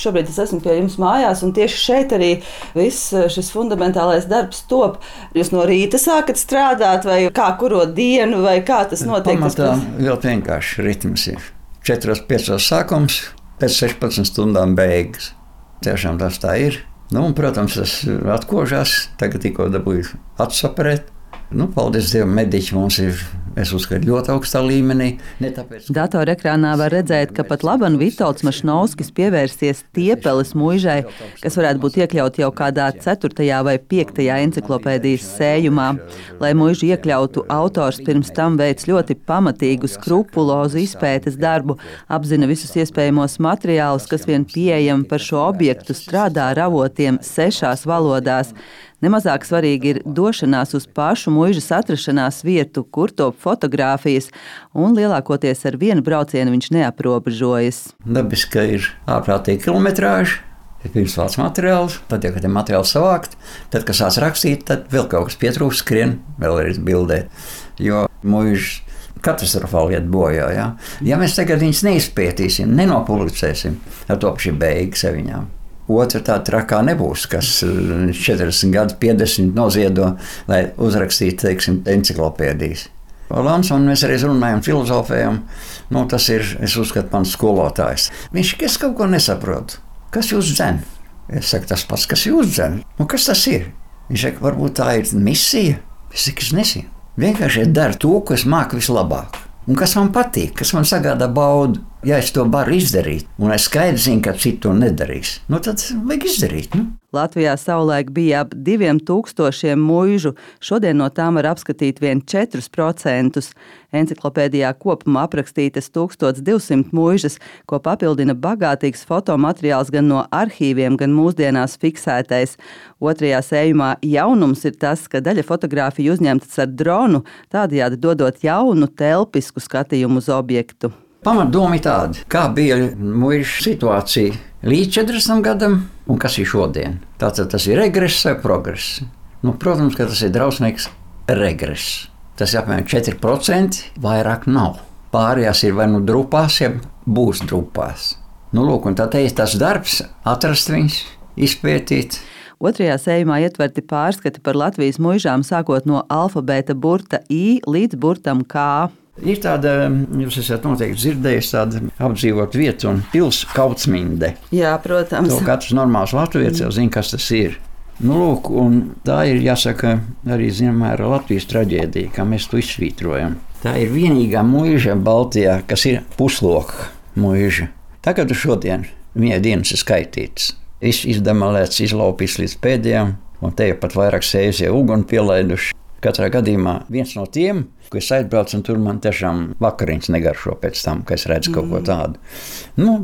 šobrīd es esmu pie jums mājās, un tieši šeit arī viss šis fundamentālais darbs top. Jūs no rīta sākat strādāt, vai kā kuro dienu, vai kā tas notiek? Pamatā ļoti vienkārši ritms ir. 4-5 sākums, pēc 16 stundām beigas. Tiešām tas tā ir. Nu, un, protams, tas atkožās, tagad tikko dabūju atsaparēt. Nu, paldies Dievam, mediķi mums ir, es uzskatu, ļoti augstā līmenī. Datorekrānā var redzēt, ka pat laban Vitolds Mašnovskis pievērsies Tiepeles muižai, kas varētu būt iekļaut jau kādā 4. vai 5. enciklopēdijas sējumā. Lai muižu iekļautu, autors pirms tam veic ļoti pamatīgu, skrupulozu izpētes darbu, apzina visus iespējamos materiālus, kas vien pieejami par šo objektu, strādā ar avotiem 6 valodās. Nemazāk svarīgi ir došanās uz pašu muižas atrašanās vietu, kur top fotogrāfijas, un lielākoties ar vienu braucienu viņš neaprobežojas. Dabiski, ka ir ārprātīgi kilometrāži, ir pirms vāc materiāls, tad, ja tie materiāli savākt, tad, kas sāc rakstīt, tad vēl kaut kas pietrūkst, skrien, vēl ir bildēt, jo muižas katastrofāli iet bojā. Ja mēs tagad viņus neizpētīsim, nenopublicēsim, ar to šī beigas viņām. Otra tā trakā nebūs, kas 40 gadu 50 noziedo, lai uzrakstītu, teiksim, enciklopēdijas. Lans, un mēs arī runājam, filozofējam, tas ir, es uzskatu, mans skolotājs. Viņš, es kaut ko nesaprotu. Kas jūs dzen? Es saku, tas pats, kas jūs dzen. Kas tas ir? Viņš saka, varbūt tā ir misija. Es saku, es nezinu. Vienkārši dara to, ko es māku vislabāk. Un kas man patīk, kas man sagādā baudu. Ja es to varu izdarīt, un es skaidri zinu, ka citi to nedarīs, tad vajag izdarīt. Latvijā savulaik bija ap 2000 muižu, šodien no tām var apskatīt vien 4%. Enciklopēdijā kopumā aprakstītas 1200 muižas, ko papildina bagātīgs fotomateriāls gan no arhīviem, gan mūsdienās fiksētais. Otrajā sējumā jaunums ir tas, ka daļa fotogrāfiju uzņemtas ar dronu, tādējādi dodot jaunu, telpisku skatījumu uz objektu. Pamatdoma ir tāda, kā bija muižu situācija līdz 40 gadam un kas ir šodien. Tātad tas ir regress vai progress. Protams, ka tas ir drausmīgs regress. Tas ir apmēram 4%, vairāk nav. Pārējās ir vai nu drupās, ja būs drupās. Un tā ir tas darbs, atrast viņus, izpētīt. Otrajā sējumā ietverti pārskati par Latvijas muižām sākot no alfabēta burta I līdz burtam K. Ir tāda, jūs esat noteikti dzirdējis, tāda apdzīvot vietu un pils Kautsminde. Jā, protams. To katrs normāls latvietis jau zina, kas tas ir. Un tā ir, jāsaka, arī zināmā mērā Latvijas traģēdija, kā mēs to izsvītrojam. Tā ir vienīgā muiža Baltijā, kas ir pusloka muiža. Tagad šodien viņai dienas ir skaitītas. Izdemolēts, izlaupīts līdz pēdējām, un te jau pat vairāk sējusie uguni pielaiduši. Katrā gadījumā viens no tiem, ko es aizbraucu, un tur man tiešām vakariņas negaršo pēc tam, ka es redzu kaut ko tādu.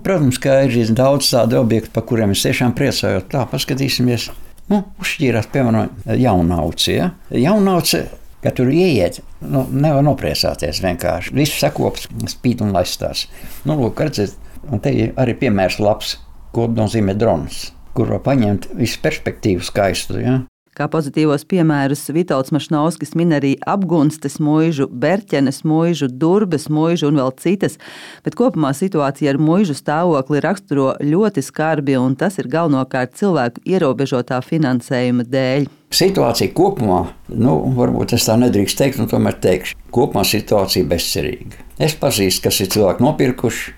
Protams, ka ir daudz tādu objektu, par kuriem es tiešām priecājos. Tā, paskatīsimies. Uzšķīrās, piemēram, Jaunauci. Ja? Jaunauci, ka tur ieiet, nevar nopriecāties vienkārši. Viss sakops, spīd un laistās. Redzēt, un te ir arī piemērs labs, ko nozīmē drons, kur var paņemt visu perspektīvu skaistu. Ja? Kā pozitīvos piemērus Vitolds Mašnovskis min arī Apgunstes muižu, Berķenes muižu, Durbes muižu un vēl citas, bet kopumā situācija ar muižu stāvokli raksturo ļoti skarbi, un tas ir galvenokārt cilvēku ierobežotā finansējuma dēļ. Situācija kopumā, varbūt es tā nedrīkst teikt, tomēr teikšu, kopumā situācija bezcerīga. Es pazīstu, kas ir cilvēki nopirkuši,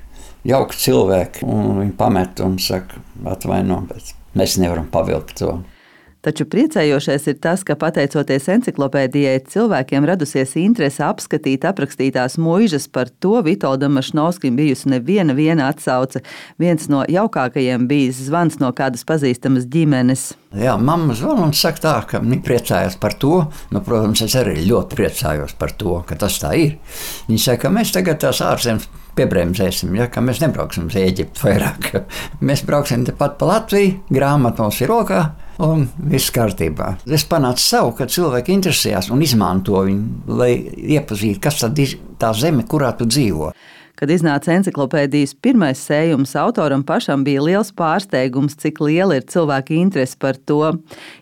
jauki cilvēki, un viņi pamet un saka, atvaino, bet mēs nevaram pavilkt to. Taču priecējošais ir tas, ka pateicoties enciklopēdijai cilvēkiem radusies interese apskatīt aprakstītās muižas. Par to Vitoldam Mašnovskim bijusi neviena atsauce. Viens no jaukākajiem bijis zvans no kādas pazīstamas ģimenes. Jā, mamma zvana un saka tā, ka viņi priecājās par to. Protams, es arī ļoti priecājos par to, ka tas tā ir. Viņi saka, ka mēs tagad tās ārzemes piebremzēsim, ka mēs nebrauksim uz Ēģiptu vairāk. Mēs brauksim tepat pa Latviju, grāmata mums ir rokā. Un viss kārtībā. Es panācu savu, ka cilvēki interesējās un izmanto viņu, lai iepazītu, kas tad ir tā zeme, kurā tu dzīvo. Kad iznāca enciklopēdijas pirmais sējums, autoram pašam bija liels pārsteigums, cik liela ir cilvēka interese par to.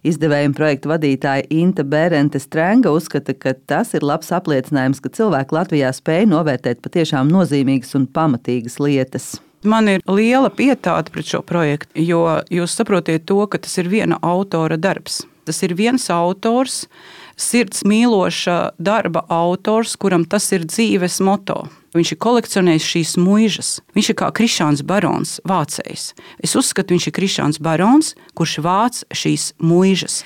Izdevējuma projekta vadītāja Inta Bērente Strenga uzskata, ka tas ir labs apliecinājums, ka cilvēki Latvijā spēj novērtēt patiešām nozīmīgas un pamatīgas lietas. Man ir liela pietāte pret šo projektu, jo jūs saprotiet to, ka tas ir viena autora darbs. Tas ir viens autors, sirds mīloša darba autors, kuram tas ir dzīves moto. Viņš ir kolekcionējis šīs muižas. Viņš ir kā Krišāns Barons, vācējs. Es uzskatu, viņš ir Krišāns Barons, kurš vāc šīs muižas.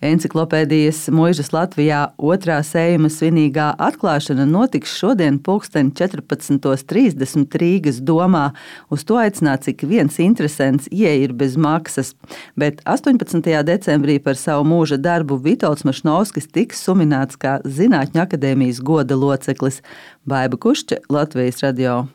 Enciklopēdijas Muižas Latvijā otrā sējuma svinīgā atklāšana notiks šodien 14:30 Rīgas domā. Uz to aicināts ik viens interesants, ieeja ir bez maksas. Bet 18. decembrī par savu mūža darbu Vitolds Mašnovskis tiks suminēts kā Zinātņu akadēmijas goda loceklis. Baiba Kušķe, Latvijas radio.